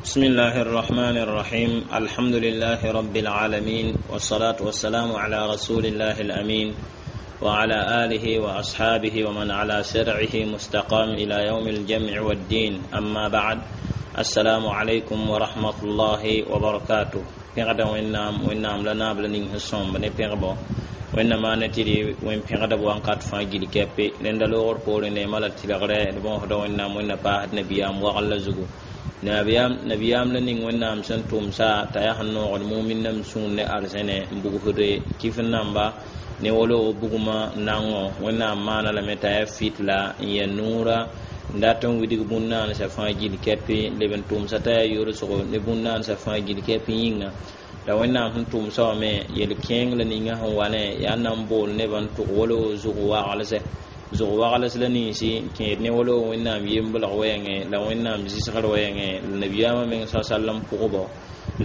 بسم الله الرحمن الرحيم. الحمد لله رب العالمين، والصلاة والسلام على رسول الله الأمين وعلى آله وأصحابه ومن على شرعه مستقام إلى يوم الجمع والدين. أما بعد، السلام عليكم ورحمة الله وبركاته. Pẽgda Wẽnnaam, Wẽnnaam la naab la ning sẽn sõmb ne pẽgbo. Wẽnnaam maana tɩ d wẽn pẽgdb wãnkat fãa gil kɛpe. Rẽnda loogr poorẽ neemã la tɩlgrɛ d bõosda Wẽnnaam. Wẽnna paasd nabiyaam wagl la zugu, nabiyaam la ning Wẽnnaam sẽn tʋmsa t'a yaa sẽn noogd mumin nam sũur ne arzẽne n bugsd kɩf namba ne wolo bugmã nango. Wẽnnaam maana lame t'a yaa fitla n yɛ nuura n dat n widg bũn-naansã fãa gil kɛpɩ, leb n tʋmsa t'a yaa yorsgo ne bũn-naansã fãa gil kɛp yĩnga. La Wẽnnaam sẽn tʋmsa wã me yel-kẽeng la ninga sẽn wa ne yaa n na n bool nebã n tʋg wolo zʋg wagls la ninsi n kẽed ne wolo Wẽnnaam yembelg wɛɛngẽ la Wẽnnaam zɩsgr wɛɛngẽ la nabiyaamã meng sa sallam pʋgbo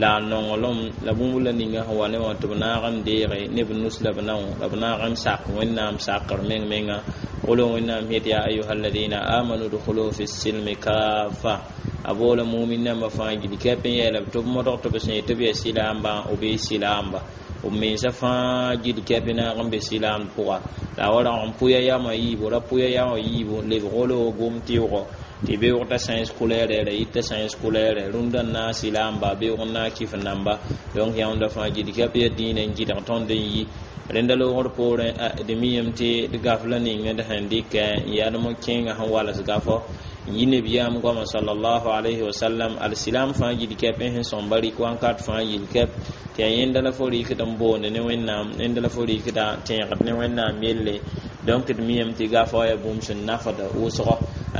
la a nonglem la bũmb la ninga sẽn wa ne wã tɩ b naag n deege ne b nus la b nao la b naag n sak Wẽnnaam sakr meng menga wolo. Wẽnnaam yet: "Ya ayuha alladina amanu dkhulu fi silmi kafa." A boola mumin nambã fãa gil kɛp n yeela tɩ b modg tɩ b sẽn tɩ b yaa silaamba, b bee silaamba b mensa fãa gil kɛp naag n be silaamd pʋga. La a wa rag n pʋya yamã yiibu, ra pʋya yamã yiibu lebg wolo gom tɩʋgɔ tɩ beoog t'a sãens kʋlɛɛrɛ ra yɩ t'a sãens kʋlɛɛrɛ rũndã n naag silaamba, beoog n naag kɩf namba. Donc yãunda fãa gil kɛp ya dĩinã n gɩdg tõnd n yi. Rẽnda loogr poorẽ, d miyame tɩ d gaf la ning d sẽn dɩkɛ n yadem kẽengã sẽn wals gafɔ n yi nabiyaam goama sallallahu alayhi wasallam. Alsilam fãa gil kɛp n sẽn sõmba rɩk wãnkat fãa gil kɛp tɩ yaa yẽnda la fo rɩkd n boond ne Wẽnnaam, yẽnda la fo rɩkda tẽegd ne Wẽnnaam yelle. Donc d miyame tɩ gafa wã yaa bũmb sẽn nafd wʋsgɔ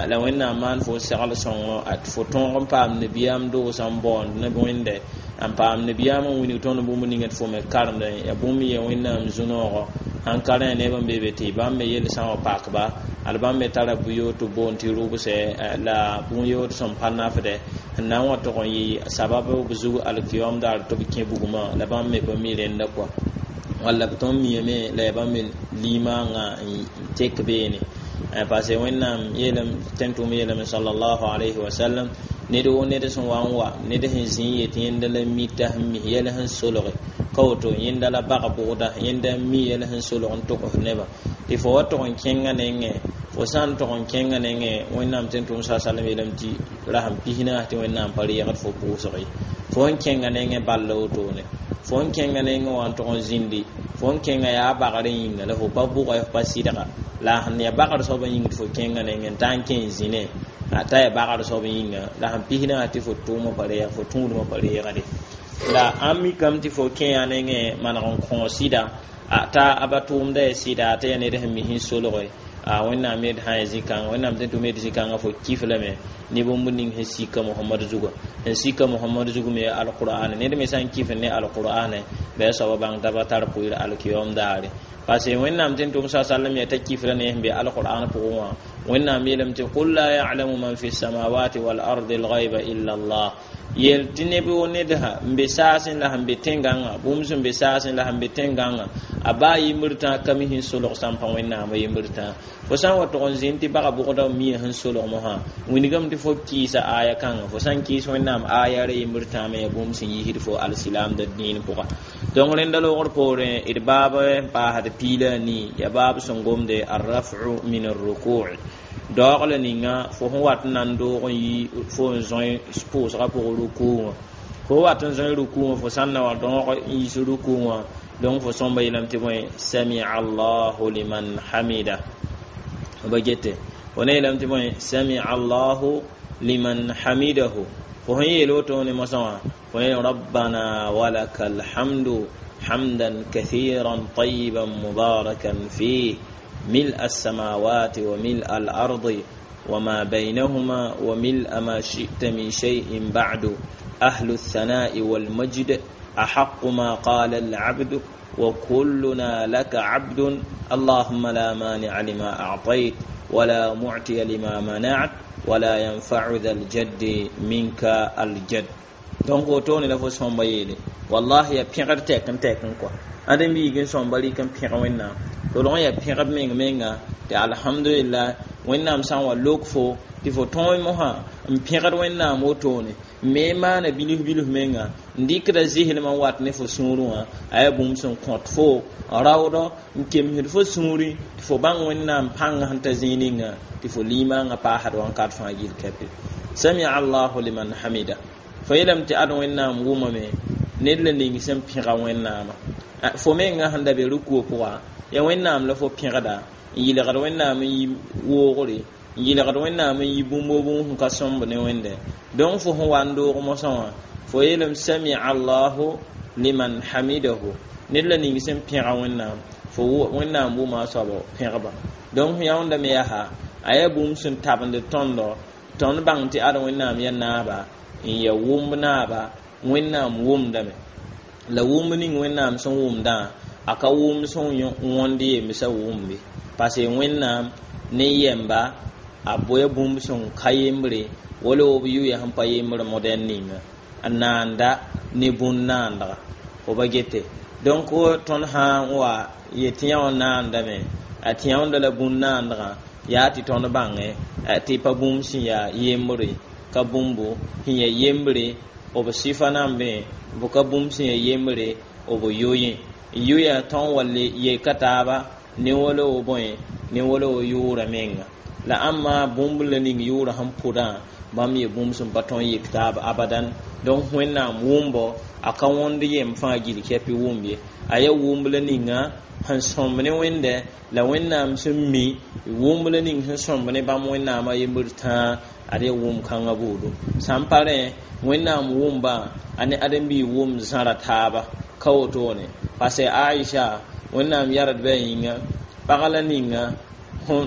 la Wẽnnaam maan fo segl sõngo tɩ fo tõog n paam nabiyaam doosã n baoond ne wẽnde n paam nabiyaam n wilg tõnd bũmb ninga tɩ fo me karemdẽ yaa bũmb ye Wẽnnaam zu-noogɔ sãn ka rẽ neb n be be tɩ bãmb me yel-sã wã pakba al bãmb me tara bʋ-yoor tɩ boond tɩ rʋbsɛ la bũn-yood sẽn pa nafdɛ n na n wa tʋg n yɩ sabab b zug alkiyom daar tɩ b kẽ bugmã la bãmb me pa mi rẽnda kɔa walla b tõnd miyame la yaa bãmb me limaangã n tek beene, parce que Wẽnnaam yeelame tẽn tʋʋm yeelame sallallahu alayhi wa sallam: ned wo ned sẽn wa n wa ned sẽn zĩ n yet yẽnda la mita sẽn mis yɛl sẽn solge ka woto, yẽnda la bag bʋgda, yẽnda n mi yɛl sẽn solg n togs nebã tɩ fo wa tʋg n kẽngã nengẽ. Fo sã n tʋg n kẽngã nengẽ, Wẽnnaam tẽn tʋʋm sa sallam yeelame tɩ rasem 40 tɩ Wẽnnaam pa reegd fo pʋʋsg ye. Fo n kẽngã nengẽ ball wotone, fo n kẽngã nengẽ wã n tʋg n zĩndi, fo n kẽngã yaa bagrẽ yĩnga la fo pa bʋga, fo pa sɩdga la sẽn yaa bagr soab n yĩng tɩ fo kẽngã nengẽ n taa n kẽ n zĩne t'a yaa bagr soab yĩnga la sẽn 40 tɩ fo tʋʋmã pa reeg, fo tũudmã pa reegde. La ãmb mikame tɩ fo kẽ yaa nengẽ maneg n kõ sɩda t'a a ba tʋʋmda yaa sɩda t'a yaa ned sẽn mis n solge. Wẽnnaam yed sã ya zĩ-kãnga, Wẽnnaam tẽn tʋm yed zĩ-kãngã fo kif lame ne bũmb ning sẽn sika Mohamad zuga, sẽn sika Mohamad zug me alqur'an. Ned me sã n kif ne alqur'an bɩ a soaba bãng t'a pa tar pʋɩɩr alkiyom daare, parce que Wẽnnaam tẽn tʋm sa sallam yaa t'a kifra ne sẽn be alqur'an pʋgẽ wã. Wẽnnaam yeelame tɩ: "Qul la ya'lamu man fi samawati wal ardi alghayba illa Allah." Yel tɩ neb wo nedsa n be saasẽ la sẽn be tẽn-gãngã, bũmb sẽn be saasẽ la sẽn be tẽn-gãngã, a baa yimbr tã ka mi sẽn solg sã n pa Wẽnnaamã yimbr tã. Fo sã n wa tʋg n zĩnd tɩ baga bʋgda mia sẽn solg mosã, wilgame tɩ fo kɩɩsa aya kãngã. Fo sã n kɩɩs Wẽnnaam aya ra yimbr tãame yaa bũmb sẽn yisd fo alsilaamda dĩin pʋga. Donc rẽnda loogr poorẽ, d baab n paasd 14, yaa baab sẽn gomde arrafu min arruku, daoog la ninga fo sẽn wat n na n doog n yi fo n zõe pʋʋsgã pʋgẽ rukuu wã. Fo wat n zõe rukuu wã, fo sã n na wa dõog n yis rukuu wã, donc fo sõmba yeelame tɩ bõe: "Samia allahu liman hamida." Ba gete fo ne yeelame tɩ bõe: "Samia allahu liman hamidahu." Fo sẽn yeel woto ne mosã wã, fo yeel: "Rabbana walaka alhamdu hamdan kathiran tayiban mubarakan fih ملء السماوات وملء الأرض وما بينهما وملء ما شئت من شيء بعد، أهل الثناء والمجد، أحق ما قال العبد وكلنا لك عبد، اللهم لا مانع لما أعطيت ولا معطي لما منعت ولا ينفع ذا الجد منك الجد." Donc wotone la fo sõmba yeele wallahi ya pẽgd tɛk n tɛk n kɔa ãdem biig n sõmba rɩk n pẽg Wẽnnaam. Tɩ log n yaa pẽgb meng menga tɩ alhamdulillah Wẽnnaam sã n wa lok fo tɩ fo tõe mosã n pẽgd Wẽnnaam wotone me maana bilf bilf menga n dɩkda zɩslmã n wat ne fo sũurẽ wã a yaa bũmb sẽn kõt fo raoodɔ n kemsd fo sũurẽ tɩ fo bãng Wẽnnaam pãngã sẽn ta zĩig ninga tɩ fo limaangã paasd wãnkat fãa gill kɛpe. Samia allahu liman hamida fo yeelame tɩ ad Wẽnnaam wʋmame ned la ning sẽn pẽga Wẽnnaamã fo menga sẽn da be rukuo pʋga ya Wẽnnaam la fo pẽgda n yɩlgd Wẽnnaam n yi woogre n yɩlgd Wẽnnaam n yi bũmb o bũmb sẽn ka sõmb ne Wẽnde donc fo sẽn wa n doog mosã wã fo yeelame samia allahu liman hamidahu ned la ning sẽn pẽga Wẽnnaam fo Wẽnnaam wʋma a soab pẽgba donc yãwndame yaa a yaa bũmb sẽn tabend tõndo tõnd bãng tɩ ad Wẽnnaam yaa naaba n ya wʋmb naaba Wẽnnaam wʋmdame la wʋmb ning Wẽnnaam sẽn wʋmdã a ka wʋmb sẽn wõnd yembsã wʋmbe parce que Wẽnnaam ne yɛmba a boya bũmb sẽn ka yembre wala b yʋya sẽn pa yembr modɛn ninga a naanda ne bũn-naandga fo ba gete donc tõnd sã n wa yetɩ yã wã naandame a tɩ yãwda la bũn-naandgã yaa tɩ tõnd bãngẽ tɩ pa bũmb sẽn yaa yembre ka bũmbo sẽn yaa yembre b sɩfa nambẽ b ka bũmb sẽn yaa yembre b yoyẽ yoya tõn wa le yeka taaba ne wala wo bõe ne wala wo yʋʋra menga la ãmma bũmb la ning yʋʋra sẽn pʋdã bãmb ye bũmb sẽn pa tõn yek taab abadan donc Wẽnnaam wʋmbo a ka wõnd yem fãa gill kɛpɩ wʋmb ye a yaa wʋmb la ninga sẽn sõmb ne Wẽnde la Wẽnnaam sẽn mi wʋmb la ning sẽn sõmb ne bãmb Wẽnnaamã yembr tãa ad yaa wʋm kãngã buudu sã n pa rẽ Wẽnnaam wʋmba a ne ãdem-biig wʋm zãra taaba ka wotone parce Aisha Wẽnnaam yardbã yĩnga pag la ninga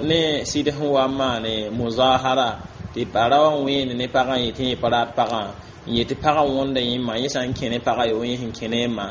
ne sɩd sẽn wa n maane muzahara tɩ pa ra wa n wẽene ne pagã n yetɩ yẽ pa rat pagã n yetɩ pagã wõnda yẽma yẽ sã n kẽ ne pagã yo yẽ sẽn kẽ ne ma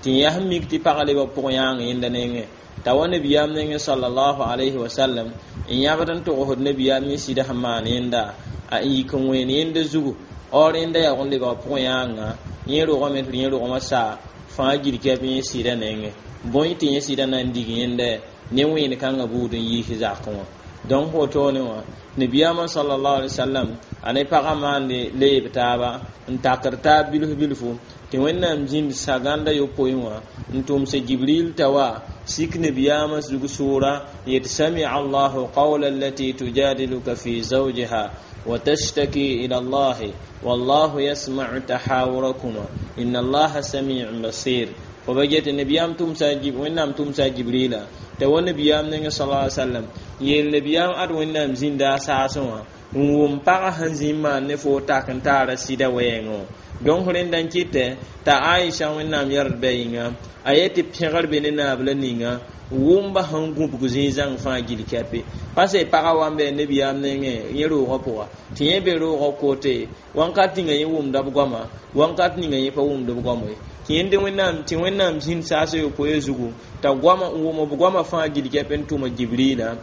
tɩ yaa sẽn mik tɩ pagã lebg pʋg yãang yẽnda nengẽ t'a wa nabiyaam nengẽ sallallahu alayhi wa sallam n yãbd n togsd nabiyaam yẽ sɩd sẽn maan yẽnda a n yik n wẽen yẽnda zugu or rẽnda yaa n lebg pʋg yãanga yẽ rogame tɩ yẽ rogmã saa fãa gil kɛp yẽ sɩda nengẽ bõe tɩ yẽ sɩda na n dig yẽnda ne wẽen kãngã buud n yiis zakẽ wã donc wotone wã nabiyaamã sallallahu alaihi wasallam a ne pagã maande leeb taaba n takd taab bilf bilfu tɩ Wẽnnaam zĩnd sagãnda yopoe wã n tʋmsa Jibril t'a wa sik nabiyaamã zug sʋʋra n yet samia allahu qawla allati tujadiluka fi zawjiha wa tashtaki ila allahi wallahu yasma'u tahawurakuma inna allaha sami'un basir fo ba get nabiyaam tʋmsa Wẽnnaam tʋmsa Jibrila t'a wa nabiyaam nengẽ sallallahu alaihi wasallam yeel nabiyaam ad Wẽnnaam zĩnda a saasẽ wã n wʋm pagã sẽn zĩ n maan ne fo tak n taara sɩda wɛɛngẽ donc rẽnda n kɩtɛ t'a Aisha Wẽnnaam yardbã yĩnga a yetɩ pẽgr be ne naab la ninga wʋmba sẽn gũbg zĩig zãng fãa gill kɛpe parce pagã wa n bɩ nabiyaam nengẽ yẽ roogã pʋga tɩ yẽ be roogã kote wãnkat ninga yẽ wʋmda b goama wãnkat ninga yẽ pa wʋmd b goam ye tɩ yẽnd Wẽnnaam tɩ Wẽnnaam zĩnd saasã yopoe zugu t'a goama n wʋm b goama fãa gill kɛp n tʋma Jibrila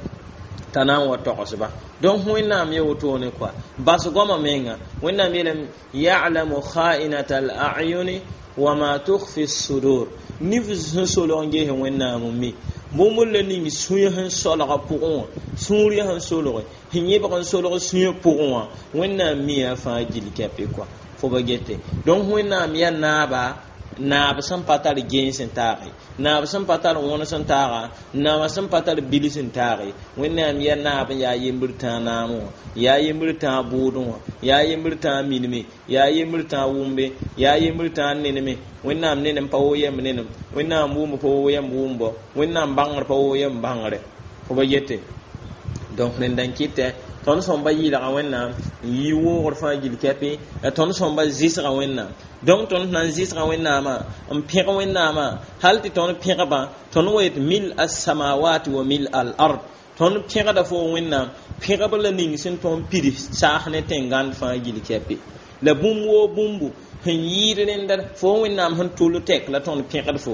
t'a na n wa togsba donc Wẽnnaam ye wotone kɔa bas goama menga Wẽnnaam yeelame ya'lamu kha'inata al-a'yuni wa ma tukhfi as-sudur nif sẽn solg n ges Wẽnnaam n mi bũmb la ning sũyã sẽn solga pʋgẽ wã sũurã sẽn solge sẽn yẽbg n solg sũyã pʋgẽ wã Wẽnnaam miya fãa gill kɛpɩ kɔa fo ba gete donc Wẽnnaam yaa naaba naab sẽn pa tar gens n taage naab sẽn pa tar wõns n taaga naaba sẽn pa tar bils n taage Wẽnnaam yaa naab n yaa yembr tãa naam wã yaa yembr tãa bʋʋdẽ wã yaa yembr tãa minime yaa yembr tãa wʋmbe yaa yembr tãa neneme Wẽnnaam nenem pa woo yɛmb nenem Wẽnnaam wʋmb pa woo yɛmb wʋmbɔ Wẽnnaam bãngr pa woo yɛmb bãngre fo ba yete donc rẽnda n kɩtɛ tõnd sõmba yɩɩlga Wẽnnaam n yɩ woogr fãa gill kɛpɩ la tõnd sõmba zɩsga Wẽnnaam donc tõnd na n zɩsga Wẽnnaamã n pẽg Wẽnnaamã hal tɩ tõnd pẽgbã tõnd wa yet mil as-samawati wa mil al-ard tõnd pẽgda fo Wẽnnaam pẽgb la ning sẽn tõnd pid saas ne tẽngãnd fãa gill kɛpɩ la bũmb woo bũmbu sẽn yɩɩd rẽnda fo Wẽnnaam sẽn tʋl tɛk la tõnd pẽgd fo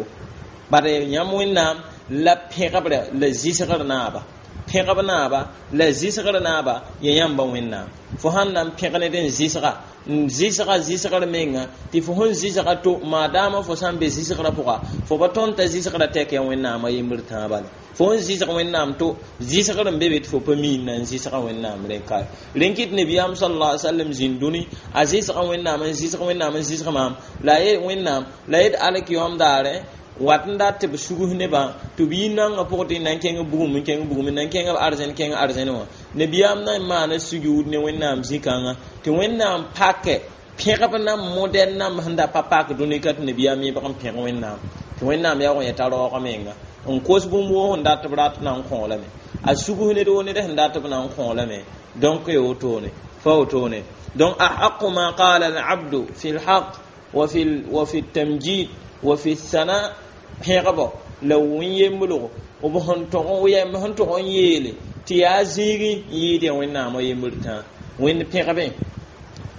bare yãmb Wẽnnaam la pẽgebrã la zɩsgr naaba pẽgb naaba la zɩsgr naaba ya yãmba Wẽnnaam Fo sãn na n pẽg ned n zɩsga n zɩsga zɩsgr menga tɩ fo sẽn zɩsga to maadaama fo sã n be zɩsgrã pʋga fo pa tõnd t'a zɩsgrã tɛk yaa Wẽnnaamã yembr tãabã la fo n zɩsg Wẽnnaam to zɩsgr n be be tɩ fo pa miin na n zɩsga Wẽnnaam rẽ ka rẽn kɩt Nebiyaam sallallahu alaihi wasallam zĩnd dũni a zɩsga Wẽnnaam n zɩsg Wẽnnaam n zɩsg maam la a yet Wẽnnaam la yet alkiyoom daare wat n dat tɩ b sugs nebã tɩ b yi naongã pʋgẽ tɩ na n kẽng bugum n kẽng bugum n na n kẽng arzẽn kẽng arzẽn wã nebiyaam na n maana sujuud ne Wẽnnaam zĩ-kãngã tɩ Wẽnnaam pakɛ pẽgb nam modɛl nam sẽn da pa pak dũni ka tɩ nebiyaam yẽbg n pẽg Wẽnnaam tɩ Wẽnnaam yaoog n yeta raoog menga n kos bũmb woo sẽn dat b rat na n kõ lame a sugs ned woo ned sẽn dat b na n kõ lame donc ya wotone fa wotone donc ahaqu ma qala al-abdu fi al-haq wa fi al-tamjid wa fi al-thana pẽgbo la wẽn-yemblgo b sẽn tog yɛm sẽn tog n yeele tɩ yaa zĩigẽ n yɩɩd ya Wẽnnaamã yembr tãa Wẽnd pẽgbe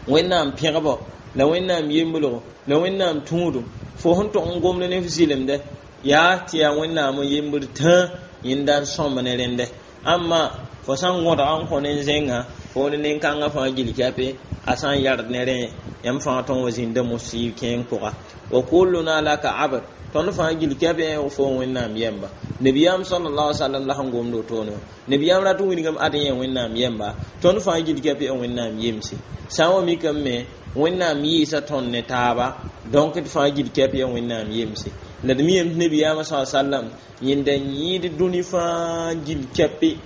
Wẽnnaam pẽgbo la Wẽnnaam yemblgo la Wẽnnaam tũudum fo sẽn tog n gomd ne f zɩlemdɛ yaa tɩ yaa Wẽnnaamã yembr tãa yẽnda n sõmb ne rẽndɛ amma fo sã n gõdga n kõ nen-zẽngã fo ne nen-kãngã fãa gil kɛpe a sã n yard ne rẽ yãmb fãa tõn wa zĩnda mosɩ kẽeng pʋga wa kulluna laka abd tõnd fãa gil kɛpẽ fo Wẽnnaam yɛmba nebiyaam sallallahu alaihi wasallam la sẽn gomd wotone wã nebiyaam rat n wilgame ad yẽ Wẽnnaam yɛmba tõnd fãa gil kɛpẽ Wẽnnaam yemse sã n wa mikame me Wẽnnaam yɩɩsa tõnd ne taaba donc d fãa gil kɛp ya Wẽnnaam yemse la d mi yem tɩ nebiyaamã sa sallam yẽnda n yɩɩd dũni fãa gil kɛpe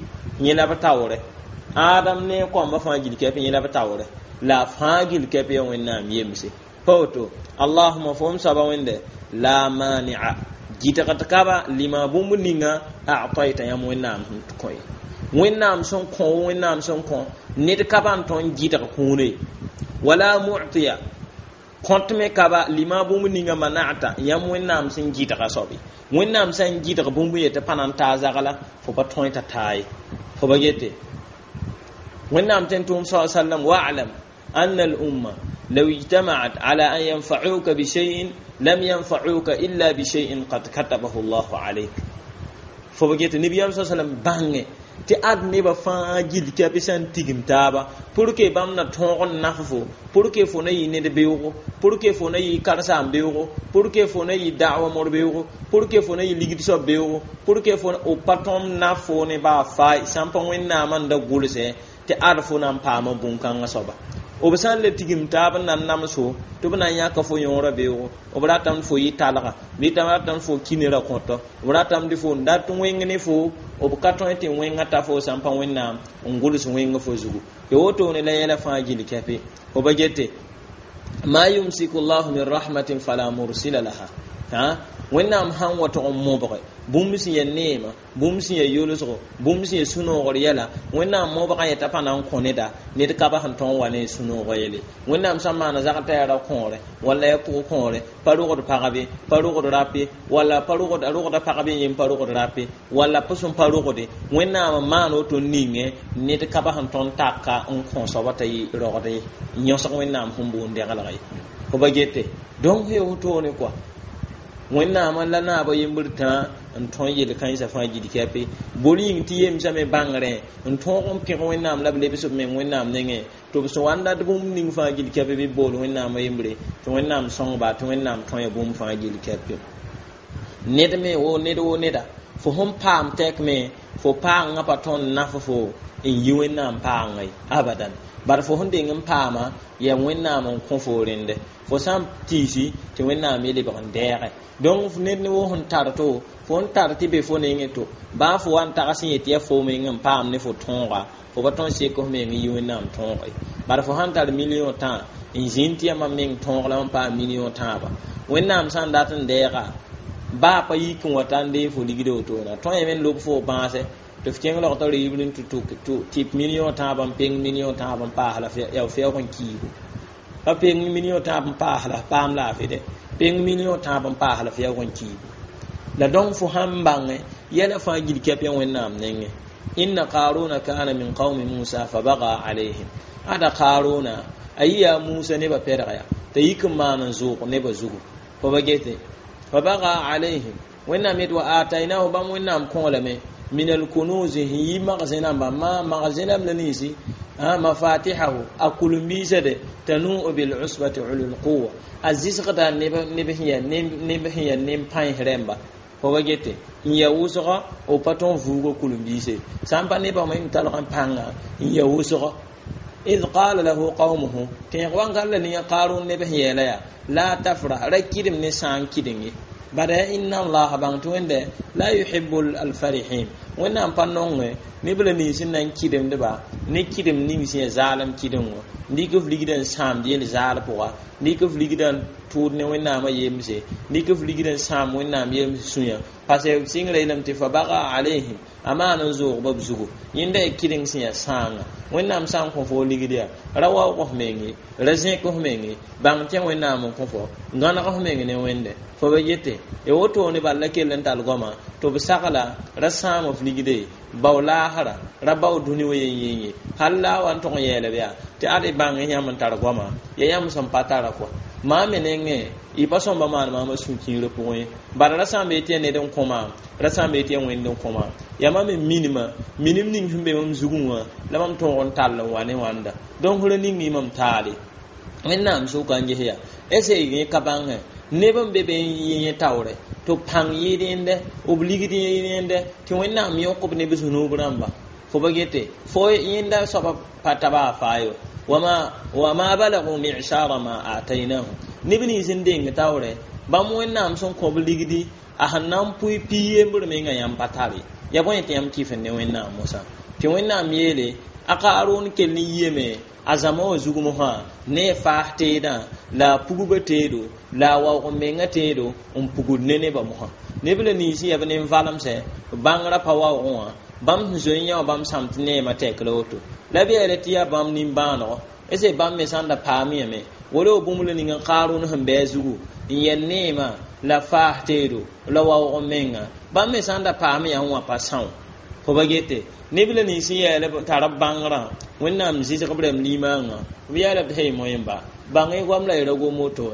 yẽ la b taoorɛ Adam ne koambã fãa gil kɛp yẽ la b taoorɛ la fãa gil kɛp ya Wẽnnaam yemse pa woto allahuma fo m soaba Wẽnde la mani'a gɩtgd kaba lima bũmb ninga a'tayta yãmb Wẽnnaam sẽn kõ ye Wẽnnaam sẽn kõ Wẽnnaam sẽn kõ ned ka ba n tõnd gɩdg kũune wala mu'tiya kõt me kaba lima bũmb ninga mana'ata yãmb Wẽnnaam sẽn gɩdga soabe Wẽnnaam sã n gɩdg bũmb yetɩ pa na n taa zagla fo pa tõe t'a taa ye fo ba gete Wẽnnaam tõe n tʋʋm sa sallam wa'lam anna al-umma law ijtama'at ala an yanfa'uka bi shay'in lam yanfa'uka illa bi shay'in qad katabahu Allahu alayk fo ba gete nebiyaam sa sallam bãnge tɩ ad nebã fãa gil kɛpɩ sã n tigim taaba pour que bãmb na tõog n naf fo pour que fo na yɩ ned beoogo pour que fo na yɩ karsaam beoogo pour que fo na yɩ da'wa mor beoogo pour que fo na yɩ ligd soab beoogo pour que fo pa tõm naf fo ne baa faay sã n pa Wẽnnaamã n da gʋlsɛ tɩ ad fo na n paama bũn-kãngã soaba b sã n le tigim taab n na n namso tɩ b na n yãka fo yõorã beoogo b ratame tɩ fo yɩ talga bɩ tɩ ratame fo kinera kõtɔ b ratame tɩ fo n dat wẽng ne fo b ka tõe tɩ wẽngã ta fo sã n pa Wẽnnaam n gʋls wẽng fo zugu tɩ wotone la yɛla fãa gil kɛpe fo ba gete ma yumsiku llahu min rahmatin fala mursila laha ha Wẽnnaam sãn wa tog n mobge bũmb sẽn ya neema bũmb sẽn ya yolsgo bũmb sẽn ya sũ-noogr yɛla Wẽnnaam mobgã yeta pa na n kõ neda ned ka ba sẽn tõog wa ne sũ-noogã yele Wẽnnaam sã n maana zag t'a yaa ra-kõore walla ya pʋg-kõore pa rogd pagbe pa rogd rape walla pa rogd rogda pagbe yem pa rogd rape walla pa sẽn pa rogde Wẽnnaam n maan woto n ningẽ ned ka ba sẽn tõnd taka n kõ soaba t'a yɩ rogd ye n yõsg Wẽnnaam sẽn boond dɛgelg ye fo ba gete donc ya wotone kɔa Wẽnnaamã la naabã yembr tãa n tõe yel-kãensã fãa gil kɛpe bor yĩng tɩ yemsame bãngrẽ n tõog n pẽg Wẽnnaam la b lebs b meng Wẽnnaam nengẽ tɩ b sẽn wa n dat bũmb ning fãa gil kɛpe bɩ bool Wẽnnaamã yembre tɩ Wẽnnaam sõngba tɩ Wẽnnaam tõe bũmb fãa gil kɛpe ned me wo ned wo neda fo sẽn paam tɛk me fo paangã pa tõnd naf fo n yi Wẽnnaam paangã ye abadan bar fo sẽn deng n paama yaa Wẽnnaam n kõ fo rẽndɛ fo sã n tiisi tɩ Wẽnnaam ye lebg n dɛɛgɛ donc ned ne wo sẽn tar to fo n tar tɩ be fo nengẽ to baa fo wa n tags n yet yaa fo meng n paam ne fo tõoga fo pa tõn sek f meng n yi Wẽnnaam tõoge bar fo sãn tar million tã n zĩnd tɩ yaa mam meng tõog la mam paam million tãaba Wẽnnaam sã n dat n dɛɛga baa pa yik n wa ta n dee fo ligd wotona tõe me n lob fo bãase tɩ f kẽng log t'a reebr n tɩ million tãab n peng million tãab n paas la yaa fɛoog n kiigo pa peng million tãab n paas la paam laafɩ dɛ peng million tãab n paas la fɛoog n kiigo la donc fo sãn bãngẽ yɛla fãa gil kɛp ya Wẽnnaam nengẽ inna qaruna kana min qaumi Musa fa baga alayhim ada Qaruna a yɩ yaa Musa nebã pɛdga ya t'a yik n maan n zʋʋg nebã zugu fo ba gete fa baga alayhim Wẽnnaam yet wa atainahu bãmb Wẽnnaam kõolame Min alkunuzi sẽn yi magzẽ-rãmba ma magzẽ-rãmb la ninsi mafatihahu a kulum-biisade tanuu bil'usbati ulul quwa a zɩsgda neb sẽn yaa nem-pãens rẽmba fo ba gete n ya wʋsgɔ b pa tõog vuugo kulum-biise sã n pa nebã me talg n pãnga n ya wʋsgɔ. Id qala lahu qawmuhu tẽeg wãngar la ninga Qarun neb sẽn yeela yaa la tafrah ra kɩdem ne sã n kɩdeng ye bada inna allaha bãng tɩ wẽnde la yuhibu alfarihin wẽnnaam pa nongẽ neb la nins n na n kɩdemdba ne kɩdem ning sẽn yaa zaalem kɩdengo dɩk f ligdã n sãamd yel zaal pʋga dɩk f ligdã n tʋʋd ne wẽnnaamã yemse dɩk f ligdã n sãam wẽnnaam yems sũyã parce sɩngrã yeelame tɩ fa baga alayhim a maan n zoogba b zugu yẽnda yaa kɩdeng sẽn yaa sãanga wẽnnaam sã n kõ fo ligd yaa ra waoog f meng ye ra zẽk f meng ye bãng tɩ wẽnnaam n kõ fo gãneg f meng ne wẽnde fo ba yete ya wotone bal la kell n tall goama tɩ b sagla ra sãam f ligde bao laasra ra bao dũni wa yen yen ye hal la a wa n tʋg n yeelb yaa tɩ ad bãng yãmb n tar goama ya yãmb sẽn pa tara kɔa maa me nengẽ y pa sõmba maan maamã sũ-kiirã pʋgẽ ye bala ra sã n bee tɩ yaa ned n kõ maam ra sã n bee tɩ yaa wẽnd n kõ maam yaa mam me minima minim ning sẽn be mam zugẽ wã la mam tõog n tall n wa ne wãnda donc ra ning y mam taale wẽnnaam sʋka n ges yaa ese yẽ ka bãngẽ neb n be be n yẽ taoore tɩ b pãng yɩɩd yẽnde b ligd yẽnde tɩ wẽnnaam yõk b neb zũnub rãmba fo ba gete fo yẽnda soaba pa taba a faa wama balagu mi'shara ma atainahum neb nins n deng taoore bãmb wẽnnaam sẽn kõ b ligdi a sẽn na n pʋɩ pi yembr menga yãmb pa tare ya bõe tɩ yãmb kɩf n ne wẽnnaam mosã tɩ wẽnnaam yeele a Kaarʋn kell n yiame a zãma wã zug mosã ne a faas teedã la a pugba teedo la a waoog n menga teedo n pugd ne nebã mosã neb la nins n yaa b nin-valemsẽ bãngrã pa waoogẽ wã bãmb sẽn zoe n yã wã bãmb sãm tɩ neemã tɛk la woto la b yeela tɩ yaa bãmb nin-bãanego ese bãmb me sã n da paam yame wala bũmb la ning n Kaarʋn sẽn bɩ a zugu n yɛl neemã la faas teedo la waoog n menga bãmb me sã n da paam yã wã pa são fo ba gete neb la nins n yɛɛla tar b bãngrã wẽnnaam zɩsg b rãmb limãangã b yaala b tɩ moẽmba bãng y goam la y ra gom woto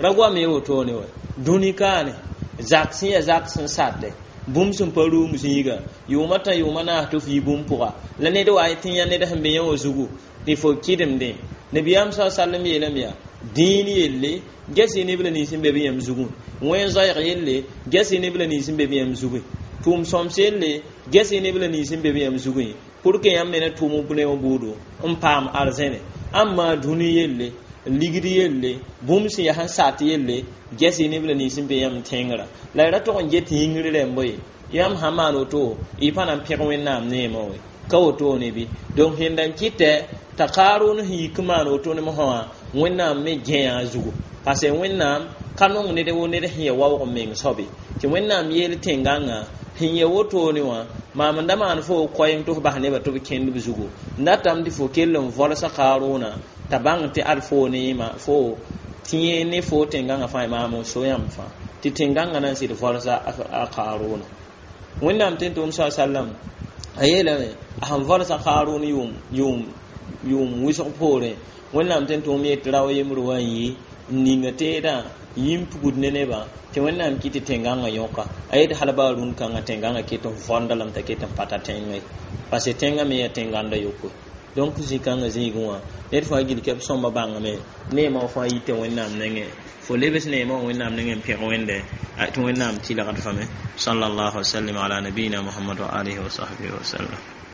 ra goam y wotone wa dũni kaane zak sẽn yaa zak sẽn satɛ bũmb sẽn pa rʋʋm zĩiga yʋʋma tã yʋʋma naas tɩ f yi bũmb pʋga la ned wa tɩ yã ned sẽn be yã wã zugu tɩ fo kɩdemdẽ nabiyaam sa sallam yeelame yaa dĩin yelle ges-y neb la nins n be b yãmb zugẽ wẽn-zoɛɛg yelle ges-y neb la nins n be b yãmb zugẽ tʋʋm sõms yelle ges-y neb la nins n be b yãmb zugẽ pour que yãmb me na tʋʋm b ne wã buudu n paam arzẽne ãmma dũni yelle ligd yelle bũmb sẽn yaa sẽn sat yelle ges-y neb la nins n be yãmb tẽngrã la y ra tog n get yĩngr rẽmbo ye yãmb sã maan woto y pa na n pẽg wẽnnaam neemã we ka wotone bɩ donc sẽn da n kɩtɛ t'a Kaarʋn sẽn yik n maan woto ne mosã wã wẽnnaam me gẽa a zugu parce que wẽnnaam ka nong ned wo ned sẽn ya waoog n meng soabe tɩ wẽnnaam yeel tẽngãngã sẽn ya wotone wã maam n da maan fo koɛɛm tɩ f bas nebã tɩ b kẽnd b zugu n datame tɩ fo kell n vɔlsa Kaarʋna t'a bãng tɩ ad fo neema fo tɩ yẽ ne fo tẽngãngã fãa maam n so yãmb fãa tɩ tẽngãngã na n sɩd vɔlsa a Kaarʋna wẽnnaam tɩ n tʋʋm sa sallam a yeelame a sẽn vɔlsa Kaarʋn yʋʋm wʋsg poorẽ wẽnnaam tɩ n tʋʋm yet rao yembr wa n yi n ninga teedã yĩm pugd ne nebã tɩ wẽnnaam kɩ tɩ tẽngãngã yõka a yet hal baa rũn kãngã tẽngãngã ket n võnda lame t'a ket n pata tẽngã ye parce que tẽngã me yaa tẽngãnda yokoe donc zĩ-kãngã zĩigẽ wã ned fãa gil kɛb sõmba bãngame neemã wã fãa yita wẽnnaam nengẽ fo lebs neemã wã wẽnnaam nengẽ n pẽg wẽnde tɩ wẽnnaam tɩlgd fame sallallahu wasallam ala nabiyina Muhammad wa alihi wa sahbihi wa sallam.